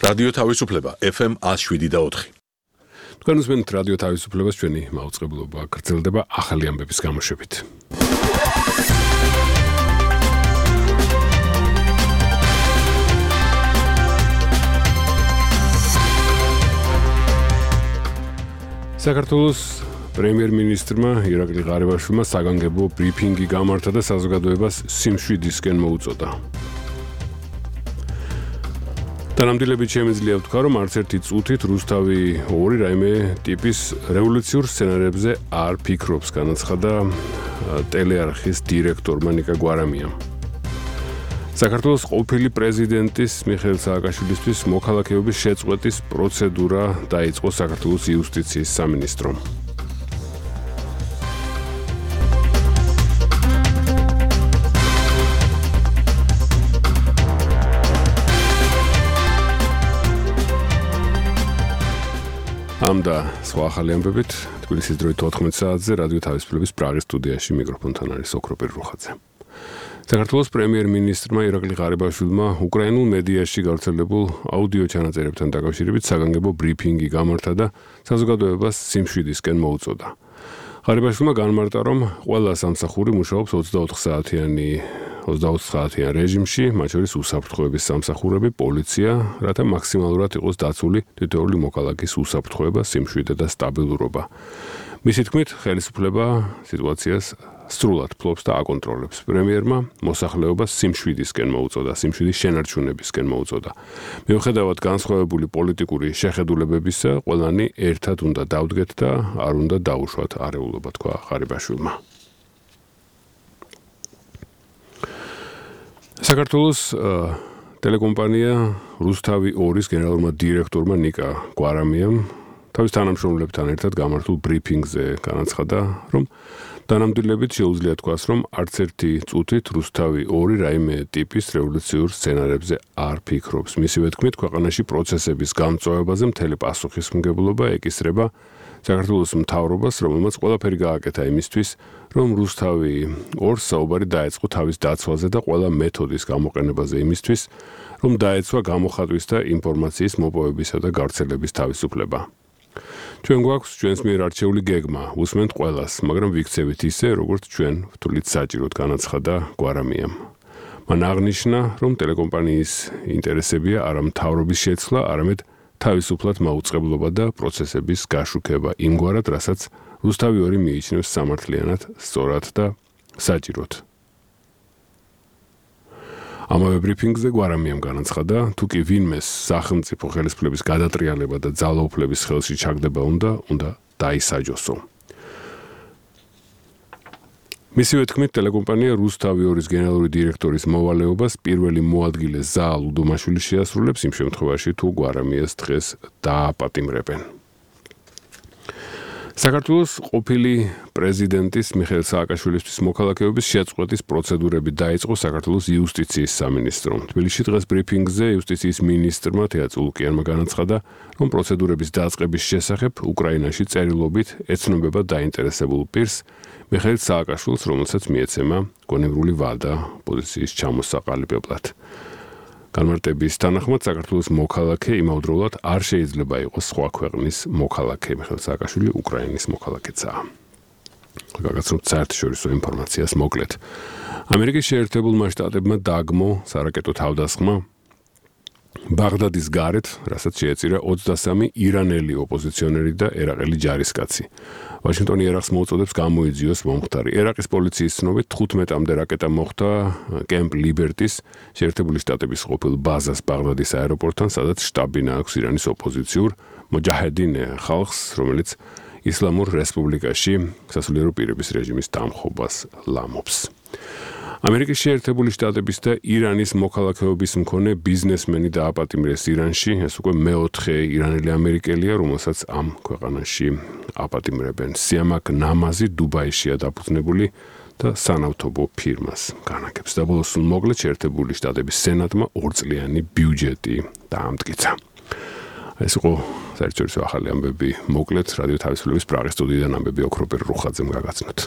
რადიო თავისუფლება FM 107.4. თქვენ უსმენთ რადიო თავისუფლებას, ჩვენი მაუწყებლობა გრძელდება ახალი ამბების გამოშვებით. საქართველოს პრემიერ-მინისტრმა ირაკლი ღარიბაშვილმა საგანგებო ბრიფინგი გამართა და საზოგადოებას სიმშვიდისკენ მოუწოდა. თანამდებობით შემიძლია ვთქვა, რომ არც ერთი წუთით რუსთავი 2 რაიმე ტიპის რევოლუციურ სცენარებზე არ ფიქრობს, განაცხადა ტელეარხის დირექტორმა ნიკა გვარამიამ. საქართველოს ყოფილი პრეზიდენტის მიხეილ სააკაშვილისთვის მოქალაქეობის შეწყვეტის პროცედურა დაიწყო საქართველოს იუსტიციის სამინისტრომ. ამ და სხვა ახალი ამბებით თბილისის დროით 14 საათზე რადიო თავისუფლების პრაღის სტუდიაში მიკროფონთან არის ოქროპირ რუხაძე. საქართველოს პრემიერ-მინისტრმა ირაკლი ღარიბაშვილმა უკრაინულ მედიაში გავრცელებულ აუდიო ჩანაწერებთან დაკავშირებით საგანგებო ბრიფინგი გამართა და საზოგადოებას სიმშვიდისკენ მოუწოდა. ღარიბაშვილმა განმარტა, რომ ყველა სამსახური მუშაობს 24 საათიან რეჟიმში, მათ შორის უსაფრთხოების სამსახურები, პოლიცია, რათა მაქსიმალურად იყოს დაცული თითოეული მოქალაქის უსაფრთხოება, სიმშვიდე და სტაბილურობა. მისი თქმით, ხელისუფლება სიტუაციას სრულად ფლობს და აკონტროლებს. პრემიერმა მოსახლეობას სიმშვიდისკენ მოუწოდა, სიმშვიდის შენარჩუნებისკენ მოუწოდა. მიუხედავად განსხვავებული პოლიტიკური შეხედულებებისა, ყველანი ერთად უნდა დავდგეთ და არ უნდა დაუშვათ არეულობა, თქვა ღარიბაშვილმა. საქართველოს ტელეკომპანია რუსთავი 2-ის გენერალურმა დირექტორმა ნიკა გვარამიამ თავის თანამშრომლებთან ერთად გამართულ ბრიფინგზე განაცხადა, რომ თანამდებობით შეუძლია თქვას, რომ არც ერთი წუთით რუსთავი 2 რაიმე ტიპის რევოლუციურ სცენარებზე არ ფიქრობს. მისივე თქმით, ქვეყანაში პროცესების გამწვავებაზე მთელი პასუხისმგებლობა ეკისრება საქართველოს მთავრობას, რომელმაც ყველაფერი გააკეთა იმისთვის, რომ რუსთავი 2-ს საუბარი დაეწყო თავის დაცვაზე და ყველა მეთოდის გამოყენებაზე იმისთვის, რომ დაეცვა გამოხატვის და ინფორმაციის მოპოვებისა და გავრცელების თავისუფლება. ჩვენ გვაქვს ჩვენს მიერ არჩეული გეგმა, უსმენთ ყველას, მაგრამ ვიქცევით ისე, როგორც ჩვენ ვთვლით საჭიროდ, განაცხადა გვარამიამ. მან აღნიშნა, რომ ტელეკომპანიის ინტერესებია არა მთავრობის შეცვლა, არამედ თავისუფლად მაუწყებლობა და პროცესების გაშუქება იმგვარად, რასაც რუსთავი 2 მიიჩნევს სამართლიანად, სწორად და საჭიროდ. ამავე ბრიფინგზე გვარამიამ განაცხადა, თუ კი ვინმეს სახელმწიფო ხელისუფლების გადატრიალება და ძალაუფლების ხელში ჩაგდება უნდა დაისაჯოსო. მისივე თქმით, ტელეკომპანია რუსთავი 2-ის გენერალური დირექტორის მოვალეობას პირველი მოადგილე ზაალ უდუმაშვილი შეასრულებს იმ შემთხვევაში, თუ გვარამიას დღეს დააპატიმრებენ. საქართველოს ყოფილი პრეზიდენტის მიხეილ სააკაშვილისთვის მოქალაქეობის შეწყვეტის პროცედურები დაიწყო საქართველოს იუსტიციის სამინისტრომ. თბილისში დღეს ბრიფინგზე იუსტიციის მინისტრმა თეა წულუკიანმა განაცხადა, რომ პროცედურების დაწყების შესახებ უკრაინაში წერილობით ეცნობება დაინტერესებულ პირს მიხეილ სააკაშვილს, რომელსაც მიეცემა გონივრული ვადა პოზიციის ჩამოსაყალიბებლად. განმარტების თანახმად საქართველოს მოქალაქე იმავდროულად არ შეიძლება იყოს სხვა ქვეყნის მოქალაქე. მიხეილ სააკაშვილი უკრაინის მოქალაქეცაა. გაგაცნობთ საერთაშორისო ინფორმაციას მოკლედ. ამერიკის შეერთებულმა შტატებმა დაგმო სარაკეტო თავდასხმა ბაღდადის გარეთ, რასაც შეეწირა 23 ირანელი ოპოზიციონერი და ერაყელი ჯარისკაცი. ვაშინგტონი ერაყს მოუწოდებს გამოიძიოს მომხდარი. ერაყის პოლიციის ცნობით 15-მდე რაკეტა მოხვდა კემპ ლიბერტის შეერთებული შტატების ყოფილ ბაზას ბაღდადის აეროპორტთან, სადაც შტაბ-ბინა აქვს ირანის ოპოზიციურ მოჯაჰედინ ხალხს, რომელიც ისლამურ რესპუბლიკაში სასულიერო პირების რეჟიმის დამხობას ლამობს. ამერიკის შეერთებული შტატების და ირანის მოქალაქეობის მქონე ბიზნესმენი დააპატიმრეს ირანში. ეს უკვე მეოთხე ირანელი ამერიკელია, რომელსაც ამ ქვეყანაში აპატიმრებენ. სიამაკ ნამაზი დუბაიშია დაფუძნებული და სანავთობო ფირმას განაგებს. და ბოლოს მოკლედ შეერთებული შტატების სენატმა 2 წლიანი ბიუჯეტი დაამტკიცა. ეს იყო საერთაშორისო ახალი ამბები მოკლედ რადიო თავისუფლების პრაღის სტუდიიდან ამბები ოქროპირ რუხაძემ გაგაცნოთ.